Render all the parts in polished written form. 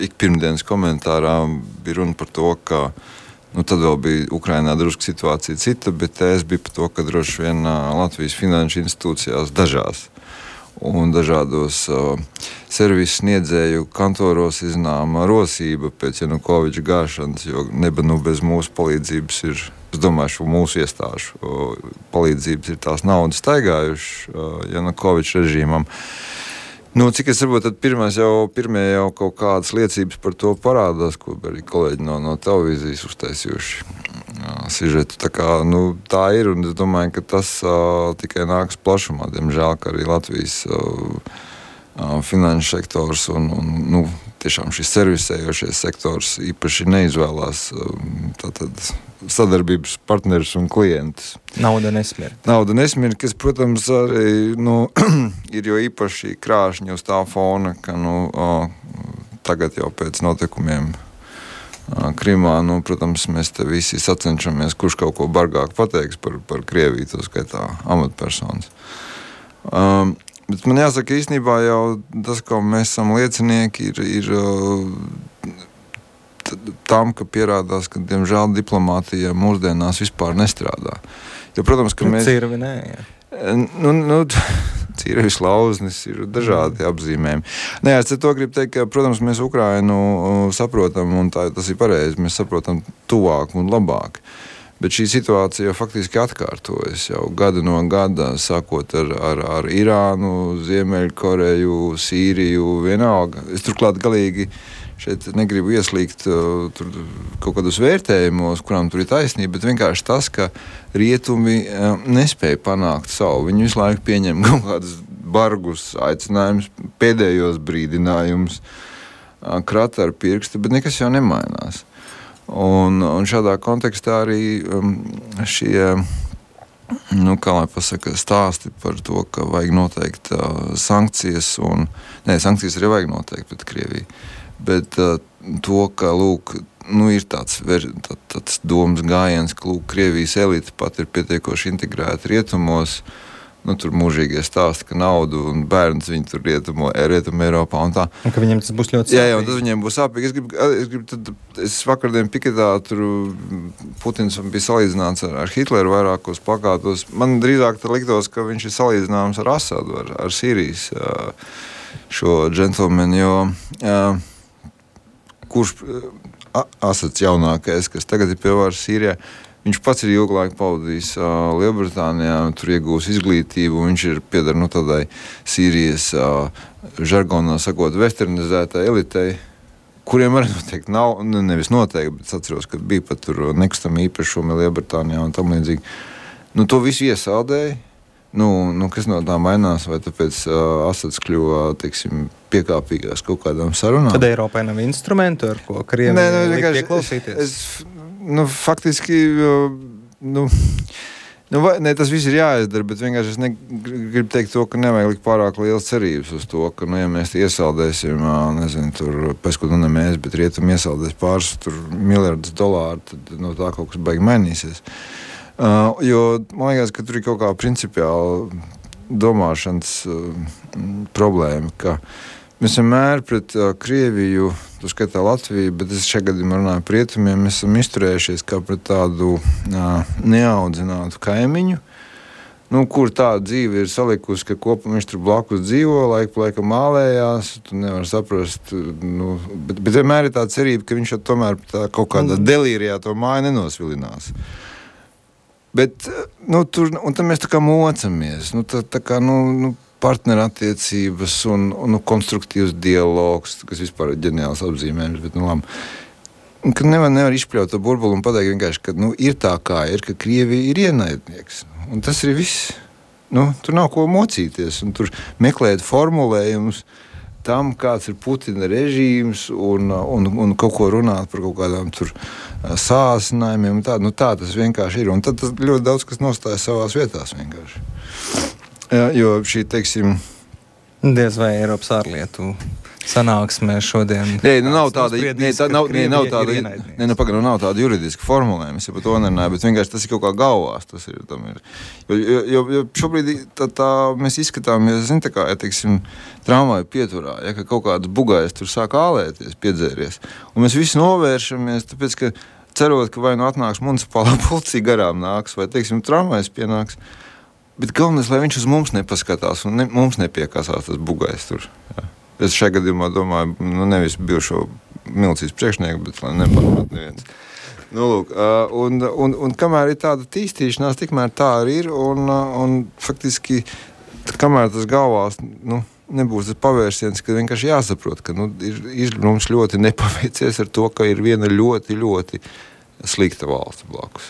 ik pirmdienas komentārā bija runa par to, ka tad vēl bija Ukrainā drusku situācija cita, bet es biju par to, ka droši vien Latvijas finanšu institūcijās dažās un dažādos servisu sniedzēju kantoros iznāma rosība pēc Janukoviča gāšanas, jo bez mūsu palīdzības ir, es domāju, mūsu iestāžu palīdzības ir tās naudas staigājuši Janukoviča režīmam. Cik es varbūt tad pirmie jau kaut kādas liecības par to parādās, ko arī kolēģi no televīzijas uztaisījuši sižetu. Tā ir, un es domāju, ka tas tikai nāks plašumā. Diemžēl, ka arī Latvijas finanšu sektors un tiešām šis servisējošais sektors īpaši neizvēlās sadarbības partnerus un klientus. Nauda nesmir, kas, protams, arī ir jo īpaši krāšņi uz tā fona, ka tagad jau pēc notikumiem Krimā, protams, mēs te visi sacenšamies, kurš kaut ko bargāk pateiks par Krieviju, to skaitā amatpersonas. Bet man jāsaka, īstenībā jau tas, ko mēs esam liecinieki, ir tam, ka pierādās, ka, diemžēl, diplomātija mūsdienās vispār nestrādā. Jo, protams, ka mēs... Cirvi nē, jā. Cirvis, lauznis, ir dažādi apzīmējumi. Es to gribu teikt, ka, protams, mēs Ukrainu saprotam, un tas ir pareizi, mēs saprotam tuvāk un labāk. Bet šī situācija faktiski atkārtojas jau gadu no gada, sākot ar Irānu, Ziemeļkoreju, Sīriju, vienalga. Es turklāt galīgi šeit negribu ieslīgt tur kaut kādus vērtējumos, kurām tur ir taisnība, bet vienkārši tas, ka rietumi nespēja panākt savu. Viņi visu laiku pieņem kaut kādus bargus aicinājumus, pēdējos brīdinājumus, krata ar pirkstu, bet nekas jau nemainās. Un šādā kontekstā arī šie, kā lai pasaka, stāsti par to, ka vajag noteikt sankcijas, sankcijas arī vajag noteikt pret Krieviju. Bet to, ka, ir tāds domas gājiens, ka, Krievijas elite pat ir pietiekoši integrēta rietumos, tur mūžīgie stāsti, ka naudu un bērns viņi tur rietumu Eiropā un tā. Un ka viņiem tas būs ļoti sāpīgi. Jā, un tas viņiem būs sāpīgi. Es vakardien piketā tur Putins bija salīdzināts ar Hitleru vairākos plakātos. Man drīzāk liktos, ka viņš ir salīdzināms ar Asadu, ar Sīrijas šo džentlmeni, jo kurš Asads jaunākais, kas tagad ir pie varas Sīrijā, viņš pats ir ilgu laiku pavadījis Lielbritānijā, tur iegūs izglītību, viņš ir pieder tādai Sīrijas žargonā sakot westernizētai elitei, kuriem arī noteikti nav, nevis noteikti, bet es atceros, ka bija pat tur nekustami īpašumi Lielbritānijā un tam līdzīgi. To visu iesaldēja. Kas no tā mainās, vai tāpēc Asads kļuva, piekāpīgās kaut kādām sarunām? Tad Eiropai nav instrumentu, ar ko Krievija liek pieklausīties? Faktiski, tas viss ir jāizdara, bet vienkārši es gribu teikt to, ka nevajag likt pārāk liels cerības uz to, ka, ja mēs iesaldēsim, tur, pēc ko ne mēs, bet rietumi iesaldēs pāris miljardus dolāru, tad no tā kaut kas baigi mainīsies. Jo man liekas, ka tur ir kaut kā principiāla domāšanas problēma, ka mēs vienmēr pret Krieviju, tu skatā Latviju, bet es šajā gadījumā runāju par rietumiem, mēs esam izturējušies kā pret tādu neaudzinātu kaimiņu, kur tā dzīve ir salikusi, ka kopā viņš tur blakus dzīvo, laiku pa laikam mālējās, tu nevar saprast, bet vienmēr ir tā cerība, ka viņš tomēr kaut kādā delīrijā to māju nenosvilinās. Bet, tur, un tad mēs tā kā mocamies, partnerattiecības un konstruktīvs dialogs, kas vispār ir ģeniāls apzīmējums, bet, ka nevar izpļaut to burbuli un pateikt vienkārši, ka, ir tā kā ir, ka Krievija ir ienaidnieks. Un tas ir viss. Tur nav ko mocīties, un tur meklēt formulējumus tam, kāds ir Putina režīms un kaut ko runāt par kaut kādām tur sāsinājumiem. Tā tas vienkārši ir. Un tad tas ļoti daudz, kas nostājas savās vietās vienkārši. Jo šī, diez vai Eiropas ārlietu sanāksmē šodien. Nē, nav tāda juridiska formulējuma, es jau par to nerunāju, bet vienkārši tas ir kaut kā galvās. Tas ir, jo šobrīd mēs izskatāmies, tā kā, ja, teiksim, tramvaju pieturā, ja, ka kaut kāds bugājs tur sāk ālēties, piedzēries. Un mēs visi novēršamies, tāpēc, ka cerot, ka vai nu atnāks municipālā policija garām nāks, vai, teiksim, tramvajs pienāks. Bet galvenais, lai viņš uz mums nepaskatās un mums nepiekasās tas bugājs tur. Ja. Es šajā gadījumā domāju, nevis bijušo milicijas priekšnieku, bet lai nepamat neviens. Lūk, un kamēr ir tāda tīstīšanās, tikmēr tā arī ir, un faktiski, kamēr tas galvās, nebūs tas pavērsiens, ka vienkārši jāsaprot, ka ir mums ļoti nepaveicies ar to, ka ir viena ļoti, ļoti slikta valsts blakus.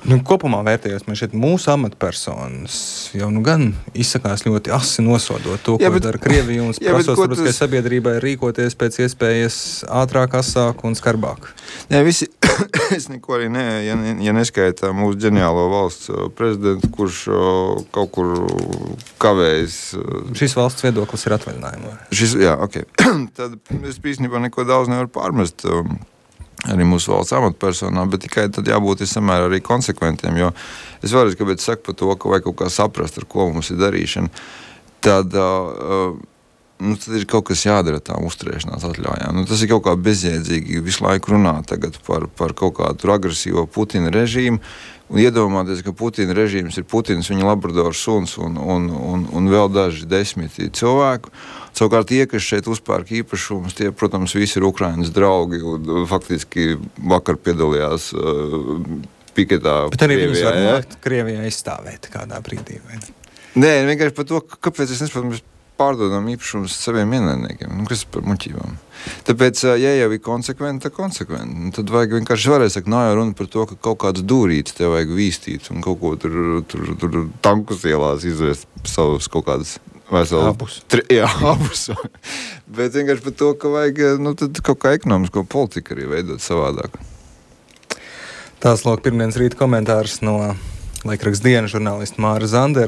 Kopumā vērtējot, man šeit mūsu amatpersonas jau gan izsakās ļoti asi nosodot to, ko dara Krievija un prasot starptautiskai sabiedrībai rīkoties pēc iespējas ātrāk, asāk un skarbāk. Nē, visi, es neko arī ja neskaitā mūsu ģeniālo valsts prezidentu, kurš kaut kur kavējas. Šis valsts viedoklis ir atvaļinājumā. Jā, ok. Tad es īstenībā neko daudz nevaru pārmest arī mūsu valsts amatpersonām, bet tikai tad jābūt samērā arī konsekventiem, jo es vēlreiz, kāpēc saku par to, ka vajag kaut kā saprast, ar ko mums ir darīšana, tad ir kaut kas jādara tām uzturēšanās atļaujām. Tas ir kaut kā bezjēdzīgi visu laiku runāt tagad par kaut kādu agresīvo Putina režīmu un iedomāties, ka Putina režīms ir Putins, viņa labradors suns un vēl daži desmiti cilvēku. Savukārt tie, kas šeit uzpērk īpašumus, tie, protams, visi ir Ukrainas draugi un faktiski vakar piedalījās piketā. Bet arī viņus var nākt Krievijā aizstāvēt kādā brīdī, vai ne? Nē, vienkārši par to, kāpēc es nesaprotu, mēs pārdodam īpašumus saviem ienaidniekiem. Kas ir par muļķībām? Tāpēc, ja jau ir konsekventi, tad vajag vienkārši varēs sakt, nav jau runa par to, ka kaut kāds dūrītis tev vajag vīstīt un kaut ko tur tankus ielās izvest savus kaut kādas abus. Abus. Bet vienkārši par to, ka vajag tad kaut kā ekonomisko politiku arī veidot savādāk. Tās lūk pirmdienas rīta komentārs no laikraksta Diena žurnālista Māra Zandera.